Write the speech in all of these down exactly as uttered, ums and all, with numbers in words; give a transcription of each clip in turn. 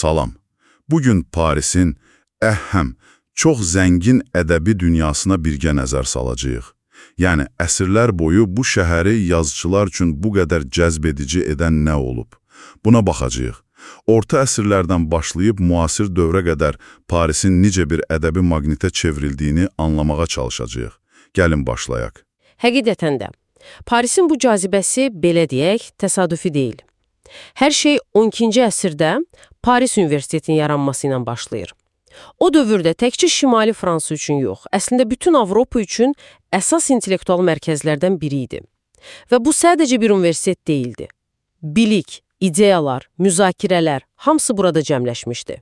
Salam. Bugün Parisin əhəm, çox zəngin ədəbi dünyasına birgə nəzər salacağıq. Yəni, əsrlər boyu bu şəhəri yazıçılar üçün bu qədər cəzb edici edən nə olub? Buna baxacağıq. Orta əsrlərdən başlayıb müasir dövrə qədər Parisin necə bir ədəbi maqnitə çevrildiyini anlamağa çalışacağıq. Gəlin başlayaq. Həqiqətən də, Parisin bu cazibəsi, belə deyək, təsadüfi deyil. Hər şey on ikinci əsrdə Paris Universitetinin yaranması ilə başlayır. O dövrdə təkcə Şimali Fransa üçün yox, əslində bütün Avropa üçün əsas intellektual mərkəzlərdən biri idi. Və bu sadəcə bir universitet deyildi. Bilik, ideyalar, müzakirələr, hamısı burada cəmləşmişdi.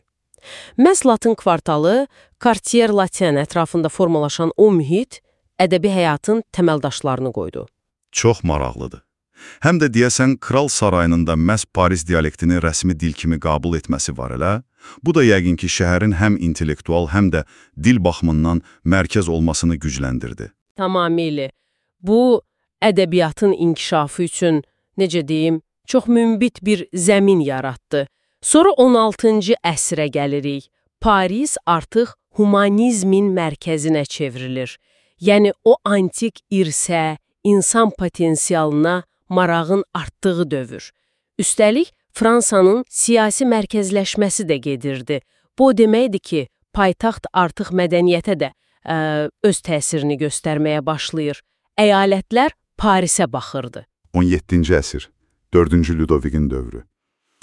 Məhz Latın kvartalı, Quartier Latin ətrafında formalaşan o mühit, ədəbi həyatın təməldaşlarını qoydu. Çox maraqlıdır. Həm də deyəsən, Kral Sarayının da məhz Paris dialektini rəsmi dil kimi qəbul etməsi var elə. Bu da yəqin ki, şəhərin həm intellektual, həm də dil baxımından mərkəz olmasını gücləndirdi. Tamamilə. Bu, ədəbiyyatın inkişafı üçün, necə deyim, çox münbit bir zəmin yaratdı. Sonra on altıncı əsrə gəlirik. Paris artıq humanizmin mərkəzinə çevrilir. Yəni, o antik irsə, insan potensialına marağın artdığı dövr. Üstəlik, Fransanın siyasi mərkəzləşməsi də gedirdi. Bu deməkdir ki, paytaxt artıq mədəniyyətə də ə, öz təsirini göstərməyə başlayır. Əyalətlər Parisə baxırdı. on yeddinci əsr, dördüncü Ludovikin dövrü.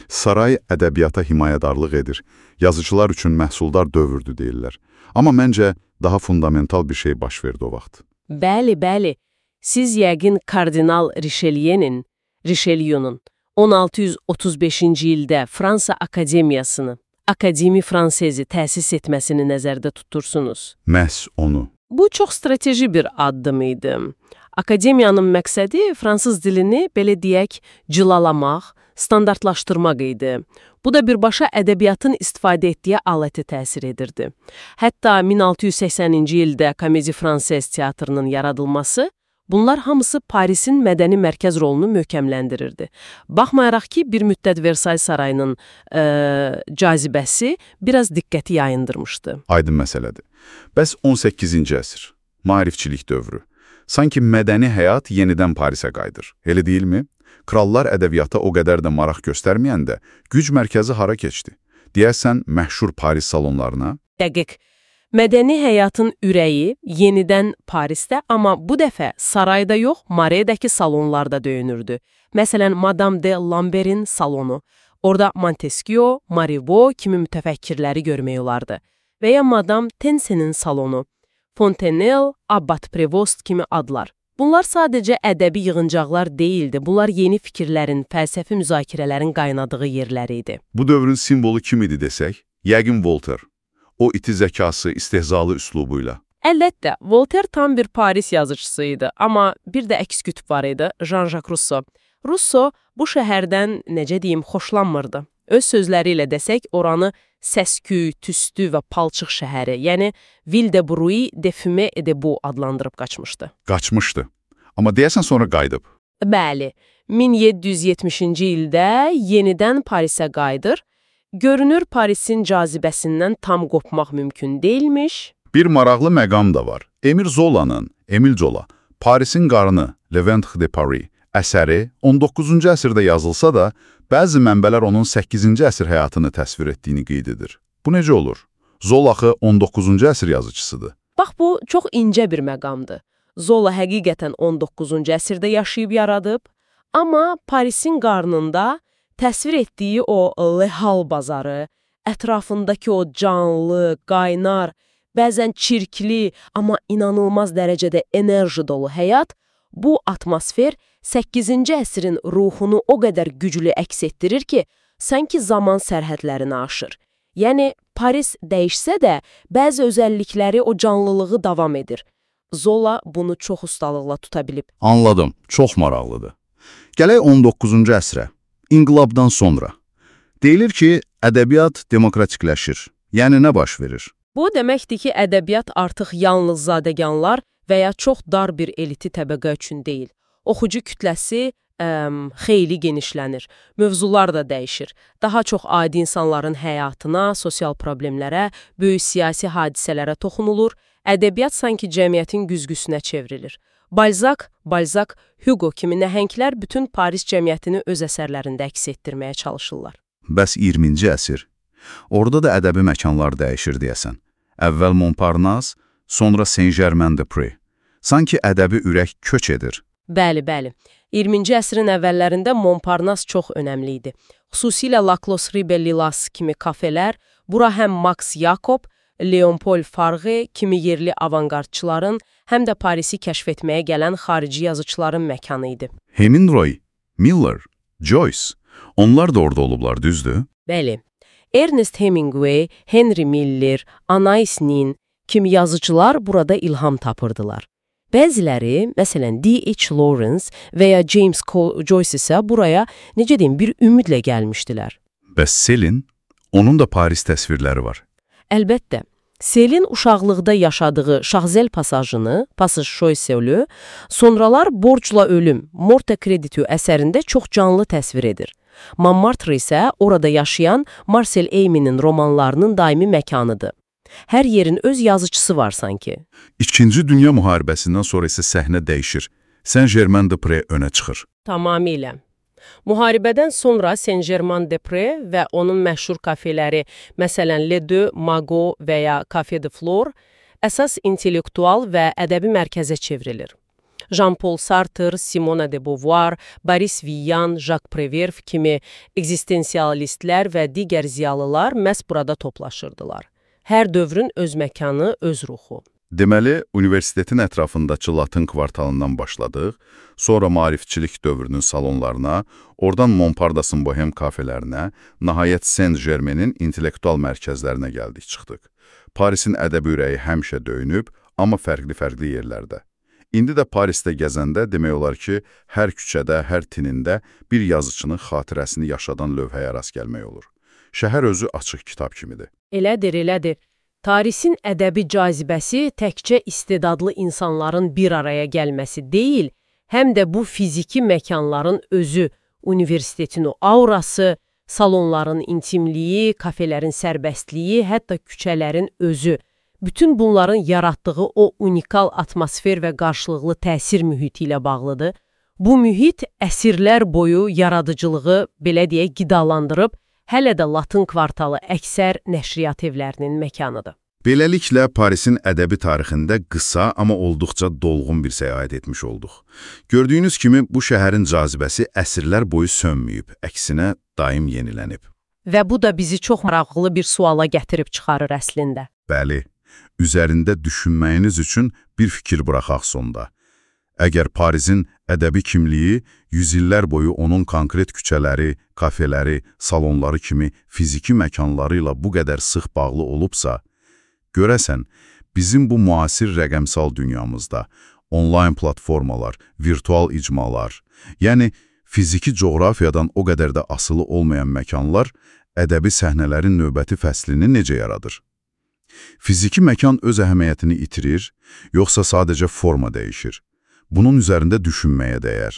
Saray ədəbiyyata himayədarlıq edir. Yazıcılar üçün məhsuldar dövrdür deyirlər. Amma məncə daha fundamental bir şey baş verdi o vaxt. Bəli, bəli. Siz yəqin kardinal Richelieu'nin, Richelieu'nun on altı yüz otuz beşinci ildə Fransa Akademiyasını, Akademi Fransezi təsis etməsini nəzərdə tutursunuz. Məhz onu. Bu çox strateji bir addım idi. Akademiyanın məqsədi fransız dilini, belə deyək, cilalamaq, standartlaşdırmaq idi. Bu da birbaşa ədəbiyyatın istifadə etdiyi aləti təsir edirdi. Hətta min altı yüz səksəninci ildə Comédie Française teatrının yaradılması, bunlar hamısı Parisin mədəni mərkəz rolunu möhkəmləndirirdi. Baxmayaraq ki, bir müddət Versay sarayının ə, cazibəsi biraz diqqəti yayındırmışdı. Aydın məsələdir. Bəs on səkkizinci əsr, maarifçilik dövrü. Sanki mədəni həyat yenidən Parisə qayıdır. Elə deyilmi? Krallar ədəbiyyata o qədər də maraq göstərməyəndə güc mərkəzi hara keçdi? Deyəsən, məşhur Paris salonlarına? Dəqiq. Mədəni həyatın ürəyi yenidən Parisdə, amma bu dəfə sarayda yox, Maredəki salonlarda döyünürdü. Məsələn, Madame de Lambert'in salonu. Orada Montesquieu, Marivaux kimi mütəfəkkirləri görmək olardı. Və ya Madame Tensen'in salonu. Fontenelle, Abbat Prevost kimi adlar. Bunlar sadəcə ədəbi yığıncaqlar deyildi. Bunlar yeni fikirlərin, fəlsəfi müzakirələrin qaynadığı yerləri idi. Bu dövrün simvolu kim idi desək? Yəqin Voltaire. O iti zəkası, istehzalı üslubuyla. Əlbəttə, Voltaire tam bir Paris yazıcısı idi, amma bir də əks kütüb var idi, Jean-Jacques Rousseau. Rousseau bu şəhərdən, necə deyim, xoşlanmırdı. Öz sözləri ilə desək, oranı səsküy, tüstü və palçıq şəhəri, yəni Ville de Bruy de Fumée et de Boue adlandırıb qaçmışdı. Qaçmışdı. Amma deyəsən sonra qayıdıb. Bəli, min yeddi yüz yetmişinci ildə yenidən Parisə qayıdır. Görünür, Parisin cazibəsindən tam qopmaq mümkün deyilmiş. Bir maraqlı məqam da var. Emil Zola'nın, Emil Zola, Parisin qarını, Le Ventre de Paris əsəri on doqquzuncu əsrdə yazılsa da, bəzi mənbələr onun səkkizinci əsr həyatını təsvir etdiyini qeyd edir. Bu necə olur? Zola axı on doqquzuncu əsr yazıcısıdır. Bax, bu çox incə bir məqamdır. Zola həqiqətən on doqquzuncu əsrdə yaşayıb yaradıb, amma Parisin qarnında təsvir etdiyi o lehal bazarı, ətrafındakı o canlı, qaynar, bəzən çirkli, amma inanılmaz dərəcədə enerji dolu həyat, bu atmosfer səkkizinci əsrin ruhunu o qədər güclü əks etdirir ki, sanki zaman sərhədlərini aşır. Yəni, Paris dəyişsə də, bəzi özəllikləri o canlılığı davam edir. Zola bunu çox ustalıqla tuta bilib. Anladım, çox maraqlıdır. Gələk on doqquzuncu əsrə. İnqilabdan sonra. Deyilir ki, ədəbiyyat demokratikləşir. Yəni, nə baş verir? Bu deməkdir ki, ədəbiyyat artıq yalnız zadəganlar və ya çox dar bir eliti təbəqə üçün deyil. Oxucu kütləsi ə, xeyli genişlənir. Mövzular da dəyişir. Daha çox adi insanların həyatına, sosial problemlərə, böyük siyasi hadisələrə toxunulur. Ədəbiyyat sanki cəmiyyətin güzgüsünə çevrilir. Balzac, Balzac, Hugo kimi nəhənglər bütün Paris cəmiyyətini öz əsərlərində əks etdirməyə çalışırlar. Bəs iyirminci əsr? Orada da ədəbi məkanlar dəyişir deyəsən. Əvvəl Montparnasse, sonra Saint-Germain-des-Prés. Sanki ədəbi ürək köç edir. Bəli, bəli. iyirminci əsrin əvvəllərində Montparnasse çox önəmli idi. Xüsusilə La Closerie-Belle-Île kimi kafelər, bura həm Max Jacob, Léon-Paul Farge kimi yerli avangardçıların, həm də Parisi kəşf etməyə gələn xarici yazıçıların məkanı idi. Hemingway, Miller, Joyce, onlar da orada olublar, düzdür? Bəli. Ernest Hemingway, Henry Miller, Anais Nin kimi yazıcılar burada ilham tapırdılar. Bəziləri, məsələn D H Lawrence və ya James Cole Joyce isə buraya, necə deyim, bir ümidlə gəlmişdilər. Bəs Selin, onun da Paris təsvirləri var. Əlbəttə, Selin uşaqlıqda yaşadığı Şahzel pasajını, Passage Choiseul, sonralar Borcla ölüm, Morte Creditu əsərində çox canlı təsvir edir. Montmartre isə orada yaşayan Marcel Aimy'nin romanlarının daimi məkanıdır. Hər yerin öz yazıcısı var sanki. İkinci Dünya müharibəsindən sonra isə səhnə dəyişir. Saint-Germain-des-Prés önə çıxır. Tamamilə. Müharibədən sonra Saint-Germain-des-Prés və onun məşhur kafeləri, məsələn Le Deux, Magot və ya Café de Flore, əsas intellektual və ədəbi mərkəzə çevrilir. Jean-Paul Sartre, Simone de Beauvoir, Boris Vian, Jacques Prévert kimi ekzistensialistlər və digər ziyalılar məhz burada toplaşırdılar. Hər dövrün öz məkanı, öz ruxu. Deməli, universitetin ətrafındakı Latın kvartalından başladıq, sonra maarifçilik dövrünün salonlarına, oradan Montparnasse'ın bohem kafelerinə, nəhayət Saint-Germain'in intellektual mərkəzlərinə gəldik, çıxdıq. Parisin ədəbi ürəyi həmişə döyünüb, amma fərqli-fərqli yerlərdə. İndi də Parisdə gəzəndə demək olar ki, hər küçədə, hər tinində bir yazıçının xatirəsini yaşadan lövhəyə rast gəlmək olur. Şəhər özü açıq kitab kimidir. Elədir, elədir. Tarisin ədəbi cazibəsi təkcə istedadlı insanların bir araya gəlməsi deyil, həm də bu fiziki məkanların özü, universitetin o aurası, salonların intimliyi, kafelerin sərbəstliyi, hətta küçələrin özü. Bütün bunların yaratdığı o unikal atmosfer və qarşılıqlı təsir mühiti ilə bağlıdır. Bu mühit əsrlər boyu yaradıcılığı, belə deyə, qidalandırıb, hələ də Latın kvartalı əksər nəşriyyat evlərinin məkanıdır. Beləliklə, Parisin ədəbi tarixində qısa, amma olduqca dolğun bir səyahət etmiş olduq. Gördüyünüz kimi, bu şəhərin cazibəsi əsrlər boyu sönməyib, əksinə daim yenilənib. Və bu da bizi çox maraqlı bir suala gətirib çıxarır əslində. Bəli, üzərində düşünməyiniz üçün bir fikir buraxaq sonda. Əgər Parisin ədəbi kimliyi yüzillər boyu onun konkret küçələri, kafeləri, salonları kimi fiziki məkanları ilə bu qədər sıx bağlı olubsa, görəsən, bizim bu müasir rəqəmsal dünyamızda onlayn platformalar, virtual icmalar, yəni fiziki coğrafiyadan o qədər də asılı olmayan məkanlar ədəbi səhnələrin növbəti fəslini necə yaradır? Fiziki məkan öz əhəmiyyətini itirir, yoxsa sadəcə forma dəyişir? Bunun üzərində düşünməyə dəyər.